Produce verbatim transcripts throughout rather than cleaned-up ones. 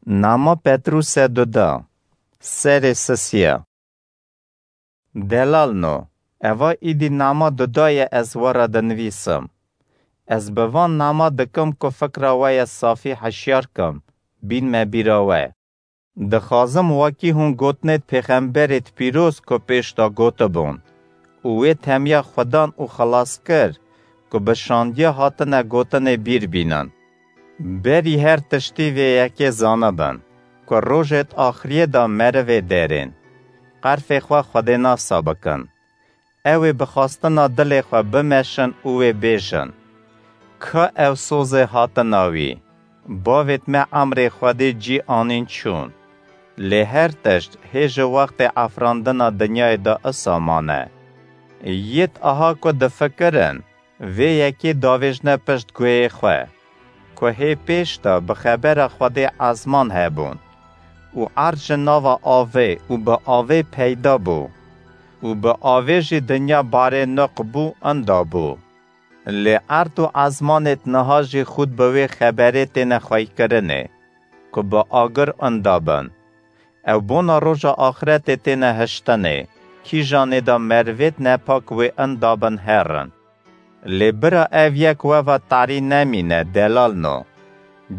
Nama Petrûse duda, serê sisiya. Delalno, eva îdî nama duda ye ez we re dinivîsim. Ez bi van nama dikim ku fikra we ye safî hişyar kim, bînme bîra we. Dixwazim wekî hûn gotinêt pêxemberêt pîroz ku pêş de gotibûn û wê temiya Xudan û xilaskir ku bi şandiya hatine gotinê bîr bînin. Berî her tiştî vê yekê zanibin ku rojêt axiriyê de merivê derên, qerfê xwe Xwedê nasa bikin. Ew ê bi xwestina dilê xwe bimeşin û wê bêjin: Ka ew sozê hatina wî, bavêt me emrê Xwedê cî anîn çûn. Lê her tişt hê ji wextê efrandina dinyayê de isa mane. Yêt aha ku difikirin, vê yekê davêjne pişt guhê xwe, ku hê pêş de bi xebera Xwedê ezman hebûn û erd ji nava avê û bi avê peyda bû û bi avê jî dinya barê niq bû inda bû. Lê erd û ezmanêt niha jî xûd bi wê xeberê têne xweykirinê, ku bi agir inda bin. Ew bona roja axretê têne hiştinê, kîjanê de merivêt nepak wê inda bin herin. Lê bira ev yek we ve tarî nemîne, delalno.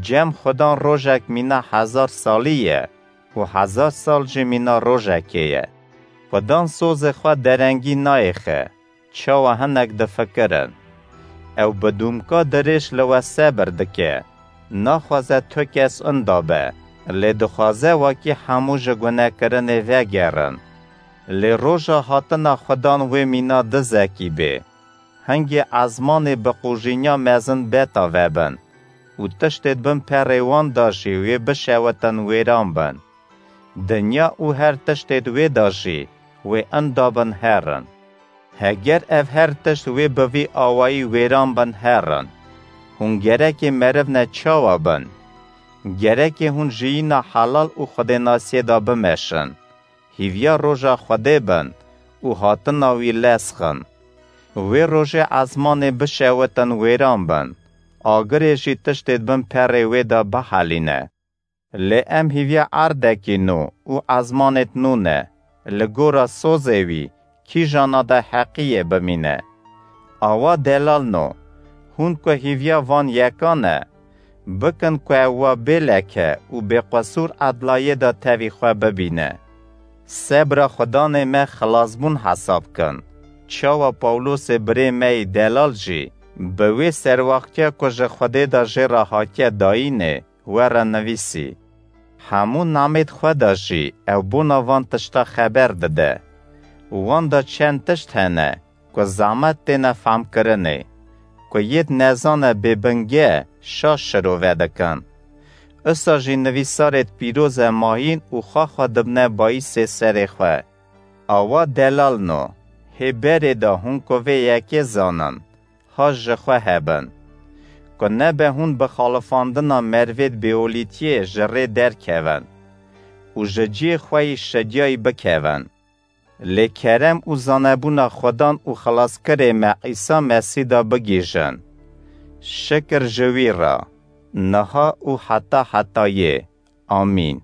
Cem Xudan rojek mîna hezar salî ye û hezar sal jî mîna rojekê ye. Xudan sozê xwe derengî nayêxe, çawa hinek difikirin. Ew bi dûmka dirêj li we sebir dike. Naxwaze tu kes inda be, lê dixwaze wekî hemû ji gunekirinê vegerin. Lê roja hatina Xudan wê mîna dizekî bê. Hingê ezmanê bi qûjînya mezin beta vebin û tiştêd bin perê wan de jî wê bişewitin wêran bin. Dinya û her tiştêd wê de jî wê inda bin herin. Heger ev her tişt wê bi vî awayî wêran bin herin, hûn gerekê meriv ne çawa bin? Gerekê hûn jiyîna helal û xwedênasiyê de bimeşin, hîviya roja Xwedê bin û hatina wî lez xin. Wê rojê ezmanê bişewitin wêran bin, agirê jî tiştêd bin perê wê de bihelîne. Lê em hîviya erdekî nû û ezmanêt nû ne, li gora sozê wî kîjana de heqiyê bimîne. Awa delalno, hûn ku hîviya van yeka ne, bikin ku ew wa bê leke û bê qesûr edlayê de tevî xwe bibîne. Sebra Xudanê me xilasbûn hesab kin. Çawa Pawlosê birê me yî delal jî, bi wê serwaxtiya ku ji Xwedê de jê re hatiye dayînê, we re nivîsî: Hemû namêt xwe de jî ew bona van tişta xeber dide. Wan de çend tişt hene ku zehmet têne femkirinê, ku yêt nezane bêbinge şaş şirove dikin. Isa jî nivîsarêt pîroze mayîn û xwe xwe dibne bayîsê serê xwe. Awa delalno, hê berê de hûn ku vê yekê zanin, ha ji xwe hebin, ku nebe hûn bi xalifandina mervêd bêolîtiyê ji rê derkevin û ji cihê xwe yî şidiyayî bikevin. Lê kerem û zanebûna Xudan û Xilaskirê me Îsa Mesîh de bigihîjin. Şikir ji wî re, niha û heta hetayê. Amîn.